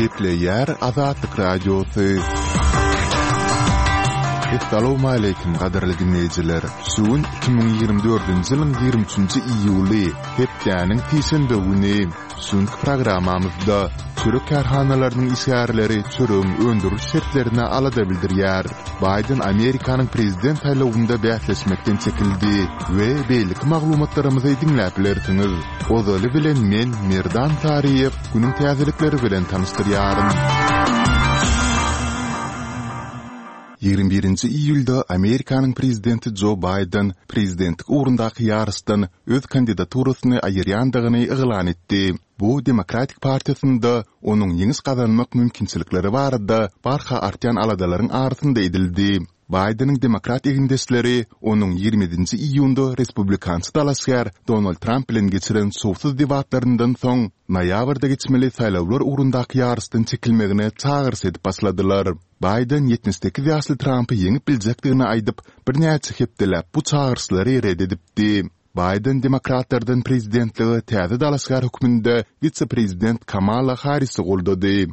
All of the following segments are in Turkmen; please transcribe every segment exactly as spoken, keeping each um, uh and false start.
Gepleýär Azatlyk Radiosy. Essalawmaleýkim gadyrly diňleýjiler! Şu gün iki müň ýigrimi dördünji ýylyň ýigrimi üçünji iýuly, hepdäniň sişenbe güni. Şu günki programmamyzda çörek kärhanalarynyň işgärleri çöregiň öndüriliş şertlerine alada bildirýär. Baýden Amerikanyň prezident saýlawynda bäsleşmekden çekildi we beýleki maglumatlarymyzy diňläp bilersiňiz. Ozaly bilen men, Merdan Saryýew, günüň täzelikleri bilen tanyşdyrýaryn. Ýigrimi birinji iýulda Amerikanyň prezidenti Jo Baýden prezidentlik ugrundaky ýaryşdan öz kandidaturasyny aýyrýandygyny yglan etdi. Bu Demokratik partiýasynda onuň ýeňiş gazanmak mümkinçilikleri barada barha artýan aladalaryň arasynda edildi. Baýdeniň demokrat egindeşleri onuň ýigrimi ýedinji iýunda respublikançy dalaşgär Donald Tramp bilen geçiren şowsuz debatlaryndan soň, noýabrda geçmeli saýlawlar ugrundaky ýaryşdan çekilmegine çagyryş edip başladylar. Baýden ýetmiş sekiz ýaşly Trampy ýeňip biljekdigini aýdyp, birnäçe hepdeläp bu çagyryşlary ret edipdi. Baýden demokratlardan prezidentlige täze dalaşgär hökmünde wise-prezident Kamala Harrisi goldady.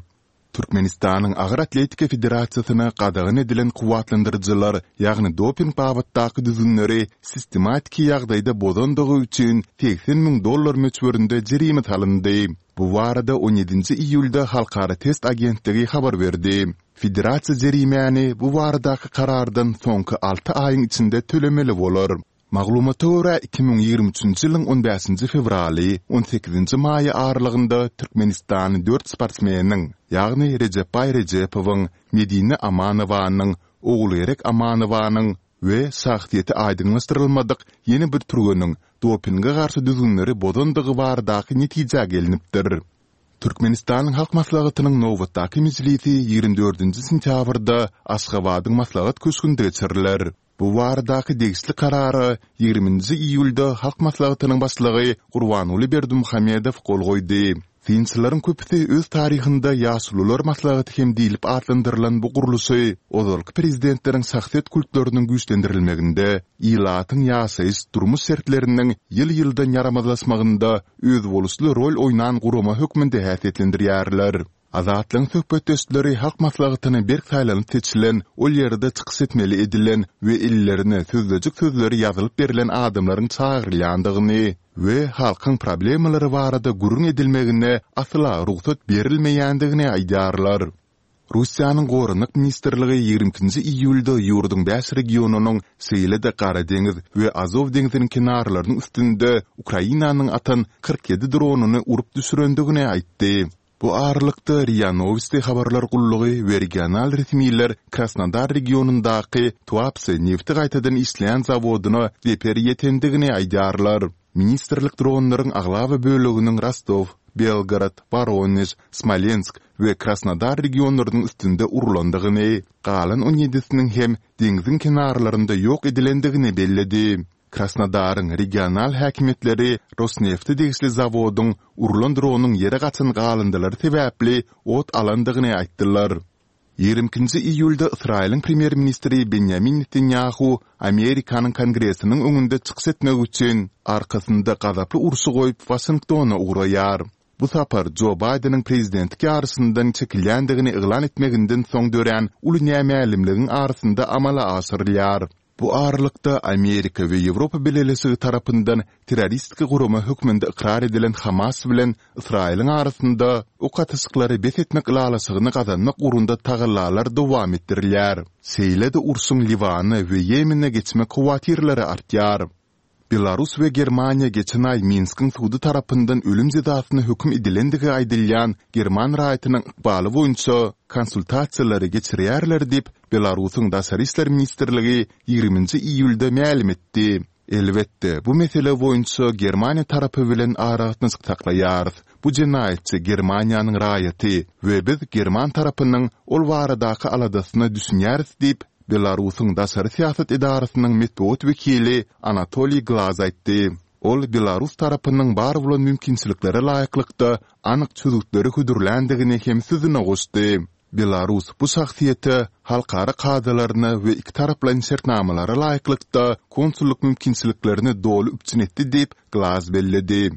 Türkmenistanyň Agyr atletika federasiýasyna gadagan edilen kuwwatlandyryjylar, ýagny doping babatdaky düzgünleri sistematiki ýagdaýda bozandygy üçin segsen müň dollar möçberinde jerime salyndy. Bu barada on ýedinji iýulda Halkara test agentligi habar berdi. Federasiýa jerimäni bu baradaky karardan soňky alty aýyň içinde tölemeli bolar. Maglumata görä, iki müň ýigrimi üçünji ýylyň on bäşinji fewraly, on sekizinji maýy aralygynda Türkmenistany dört sportsmeniň, ýagny Rejepbaý Rejepowyň, Medine Amanowanyň, Ogulgerek Amanowanyň we şahsyýeti aýdyňlaşdyrylmadyk ýene bir türgeniň dopinge garşy düzgünleri bozandygy baradaky netijä gelnipdir. Türkmenistanyň Halk Maslahatynyň nobatdaky mejlisi ýigrimi dördünji sentýabrda Aşgabadyň Maslahat köşgünde geçiriler. Bu baradaky degişli Karara ýigrimi nji iýulda Halk Maslahatynyň Başlygy Gurbanguly Berdimuhamedow gol goýdy. Synçylaryň köpüsi öz taryhynda Ýaşulular maslahaty hem diýlip atlandyrylan bu gurluşy ozalky prezidentleriň şahsyýet kultlarynyň güýçlendirilmeginde, ilatyň ýaşaýyş, durmuş şertleriniň ýyl-ýyldan ýaramazlaşmagynda özboluşly rol oýnan gurama hökmünde häsiýetlendirýärler. Azatlygyň söhbetdeşleri Halk Maslahatyna berk saýlanyp seçilen, ol ýerde çykyş etmeli edilen we ellerine sözlejik sözleri ýazylyp berlen adamlaryň çagyrylýandygyny we halkyň problemalary barada gürrüň edilmegine asla rugsat berilmeýändigini aýdýarlar. Russiýanyň Goranmak ministrligi ýigrimi ikinji iýulda ýurduň bäş regionynyň, şeýle-de Gara deňiz we Azow deňziniň kenarlarynyň üstünde Ukrainanyň atan kyrk ýedi dronyny urup düşürendigini aýtdy. Bu aralykda, RIA Nowosti habarlar gullugy we regional resmiler Krasnodar regionyndaky Tuapse nebti gaýtadan işleýän zawodyna zeper ýetendigini aýdýarlar. Ministrlik dronlaryň aglaba böleginiň Rostow, Belgorod, Woronež, Smolensk we Krasnodar regionlarynyň üstünde urlandygyny, galan on ýedisiniň hem deňziň kenarlarynda ýok edilendigini belledi. Krasnodaryň regional häkimiýetleri Rosnefte degişli zawodyň urlan dronyň ýere gaçan galyndylary sebäpli ot alandygyny aýtdylar. Ýigrimi ikinji iýulda Ysraýylyň premýer-ministri Benýamin Netanýahu Amerikanyň Kongresiniň öňünde çykyş etmek üçin arkasynda gazaply urşy goýup Waşingtona ugraýar. Bu sapar Jo Baýdeniň prezidentlik ýaryşyndan çekilýändigini yglan etmeginden soň dörän uly nämälimligiň arasynda amala aşyrylýar. Bu aralykda, Amerika we Ýewropa Bileleşigi tarapyndan terroristik gurama hökmünde ykrar edilen Hamas bilen Ysraýylyň arasynda ok atyşyklary bes etmek ylalaşygyny gazanmak ugrunda tagallalar dowam etdirilýär. Şeýle-de urşuň Liwana we Ýemene geçmek howatyrlary artýar. Belarus we Germaniýa geçen aý Minskiň sudy tarapyndan ölüm jezasyna höküm edilendigi aýdylýan german raýatynyň ykbaly boýunça konsultasiýalary geçirýärler diýip, Belarusyň Daşary işler ministrligi ýigriminji iýulda mälim etdi. Elbetde, bu mesele boýunça Germaniýa tarapy bilen aragatnaşyk saklaýarys. Bu jenaýatçy Germaniýanyň raýaty we biz german tarapynyň ol baradaky aladasyna düşünýäris diýip, Belarusyň daşary syýasat edarasynyň metbugat wekili Anatoliý Glaz aýtdy. Ol belarus tarapynyň bar bolan mümkinçiliklere laýyklykda anyk çözgütleri hödürländigini hem sözüne goşdy. Belarus bu şahsyýete halkara kadalaryna we ikitaraplaýyn şertnamalara laýyklykda konsullyk mümkinçiliklerini doly üpjün etdi diýip, Glaz belledi.